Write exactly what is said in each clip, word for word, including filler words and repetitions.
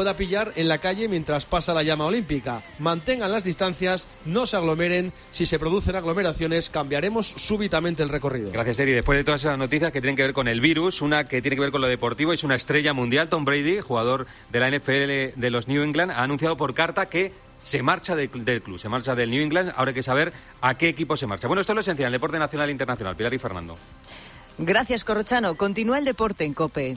pueda pillar en la calle mientras pasa la llama olímpica. Mantengan las distancias, no se aglomeren. Si se producen aglomeraciones, cambiaremos súbitamente el recorrido. Gracias, Eri. Después de todas esas noticias que tienen que ver con el virus, una que tiene que ver con lo deportivo, es una estrella mundial. Tom Brady, jugador de la N F L de los New England, ha anunciado por carta que se marcha de, del club, se marcha del New England. Ahora hay que saber a qué equipo se marcha. Bueno, esto es lo esencial, el deporte nacional e internacional. Pilar y Fernando. Gracias, Corrochano. Continúa el deporte en COPE.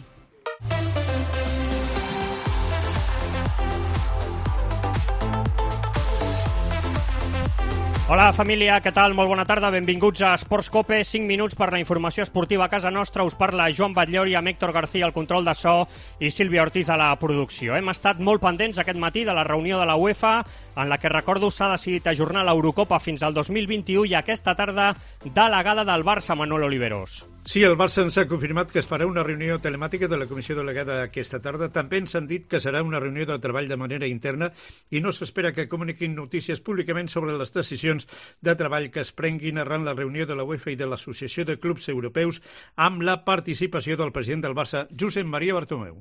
Hola família, què tal? Molt bona tarda, benvinguts a Esports COPE, cinc minuts per la informació esportiva a casa nostra. Us parla Joan Batllori, amb Héctor García al control de so i Sílvia Ortiz a la producció. Hem estat molt pendents aquest matí de la reunió de la UEFA, en la que, recordo, s'ha decidit ajornar l'Eurocopa fins al dos mil vint-i-u i aquesta tarda delegada del Barça, Manuel Oliveros. Sí, el Barça ens ha confirmat que es farà una reunió telemàtica de la comissió delegada aquesta tarda. També ens han dit que serà una reunió de treball de manera interna i no s'espera que comuniquin notícies públicament sobre les decisions de treball que es prenguin arran la reunió de la UEFA i de l'Associació de Clubs Europeus amb la participació del president del Barça, Josep Maria Bartomeu.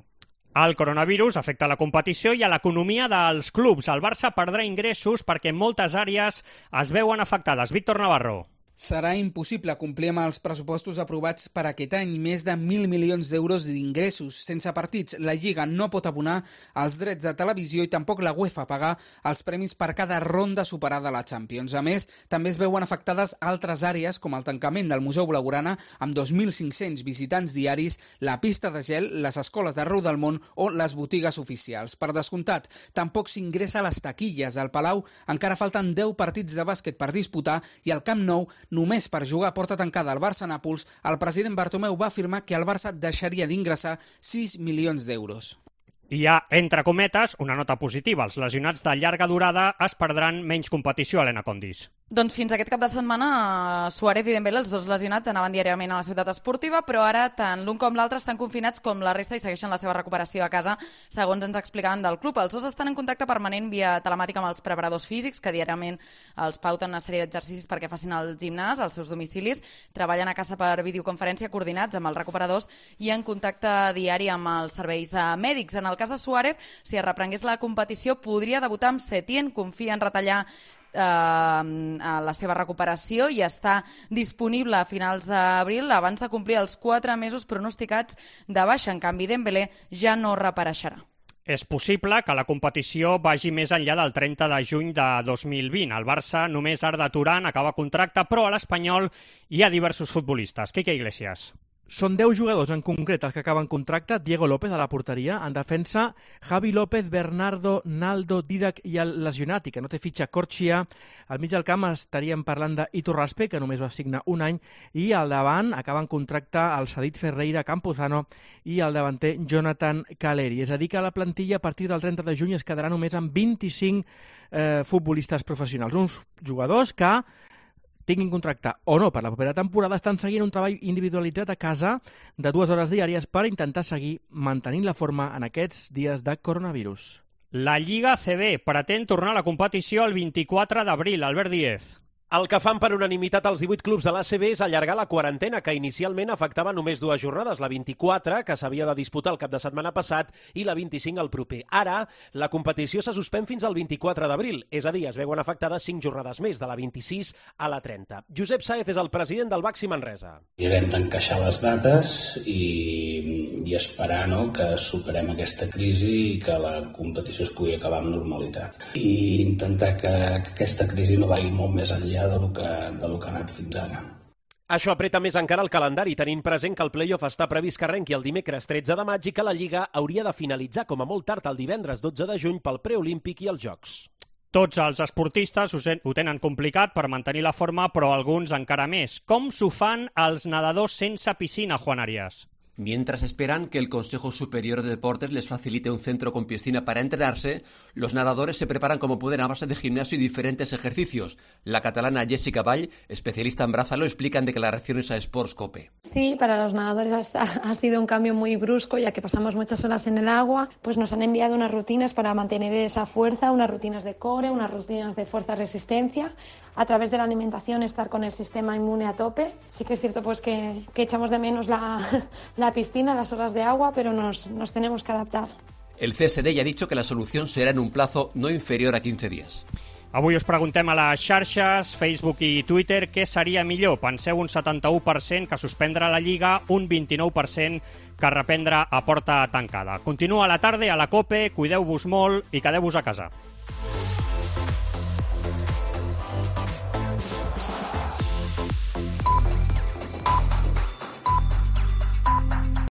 El coronavirus afecta la competició i a l'economia dels clubs. El Barça perdrà ingressos perquè moltes àrees es veuen afectades. Víctor Navarro. Serà impossible complir amb els pressupostos aprovats per aquest any, més de mil milions d'euros d'ingressos. Sense partits, la Lliga no pot abonar els drets de televisió i tampoc la UEFA pagar els premis per cada ronda superada a la Champions. A més, també es veuen afectades altres àrees, com el tancament del Museu Blaugrana, amb dos mil cinc-cents visitants diaris, la pista de gel, les escoles d'arreu del món o les botigues oficials. Per descomptat, tampoc s'ingressa a les taquilles. Al Palau encara falten deu partits de bàsquet per disputar i al Camp Nou només per jugar a porta tancada al Barça-Nàpols, el president Bartomeu va afirmar que el Barça deixaria d'ingressar sis milions d'euros. Hi ha, entre cometes, una nota positiva. Els lesionats de llarga durada es perdran menys competició, Helena Condis. Doncs fins aquest cap de setmana, Suárez i Dembélé, els dos lesionats, anaven diàriament a la ciutat esportiva, però ara tant l'un com l'altre estan confinats com la resta i segueixen la seva recuperació a casa, segons ens explicaven del club. Els dos estan en contacte permanent via telemàtica amb els preparadors físics, que diàriament els pauten una sèrie d'exercicis perquè facin el gimnàs als seus domicilis, treballen a casa per videoconferència coordinats amb els recuperadors i en contacte diari amb els serveis mèdics. En el cas de Suárez, si es reprengués la competició, podria debutar amb Setien, confia en retallar Eh, a la seva recuperació i està disponible a finals d'abril abans de complir els quatre mesos pronosticats de baixa. En canvi, Dembélé ja no reapareixerà. És possible que la competició vagi més enllà del trenta de juny de dos mil vint. El Barça només Arda Turan acaba contracte, però a l'Espanyol hi ha diversos futbolistes. Quique Iglesias. Són deu jugadors en concret els que acaben contracte. Diego López a la porteria, en defensa Javi López, Bernardo, Naldo, Didac i el lesionat i que no té fitxa Corchia. Al mig del camp estaríem parlant d'Ito Raspe, que només va signar un any, i al davant acaben contracte el cedit Ferreira, Campuzano i el davanter Jonathan Caleri. És a dir que la plantilla a partir del trenta de juny es quedarà només amb vint-i-cinc eh, futbolistes professionals. Uns jugadors que tinguin contracte o no per la propera temporada, estan seguint un treball individualitzat a casa de dues hores diàries per intentar seguir mantenint la forma en aquests dies de coronavirus. La Lliga A C B pretén tornar a la competició el vint-i-quatre d'abril. Albert Díez. El que fan per unanimitat els divuit clubs de l'A C B és allargar la quarantena, que inicialment afectava només dues jornades, la vint-i-quatre, que s'havia de disputar el cap de setmana passat, i la vint-i-cinc el proper. Ara, la competició se suspèn fins al vint-i-quatre d'abril, és a dir, es veuen afectades cinc jornades més, de la vint-i-sis a la trenta. Josep Sáez és el president del Baxi Manresa. Haurem d'encaixar les dates i, i esperar no, que superem aquesta crisi i que la competició es pugui acabar amb normalitat. I intentar que, que aquesta crisi no vagi molt més enllà de lo que, de lo que ha anat fins ara. Això apreta més encara el calendari, tenint present que el play-off està previst que arrenqui el dimecres tretze de maig i que la Lliga hauria de finalitzar com a molt tard el divendres dotze de juny pel preolímpic i els Jocs. Tots els esportistes ho tenen complicat per mantenir la forma, però alguns encara més. Com s'ho fan els nedadors sense piscina, Juan Arias? Mientras esperan que el Consejo Superior de Deportes les facilite un centro con piscina para entrenarse, los nadadores se preparan como pueden a base de gimnasio y diferentes ejercicios. La catalana Jessica Vall, especialista en brázalo, explican de declaraciones a Sports Cope. Sí, para los nadadores ha, ha sido un cambio muy brusco, ya que pasamos muchas horas en el agua, pues nos han enviado unas rutinas para mantener esa fuerza, unas rutinas de core, unas rutinas de fuerza-resistencia, a través de la alimentación estar con el sistema inmune a tope. Sí que es cierto pues que, que echamos de menos la, la piscina, las horas de agua, pero nos, nos tenemos que adaptar. El C S D ya ha dicho que la solución será en un plazo no inferior a quince días. Avui us preguntem a les xarxes, Facebook i Twitter, què seria millor. Penseu un setanta-u per cent que suspendre la Lliga, un vint-i-nou per cent que reprendre a porta tancada. Continua la tarda a la COPE, cuideu-vos molt i quedeu-vos a casa.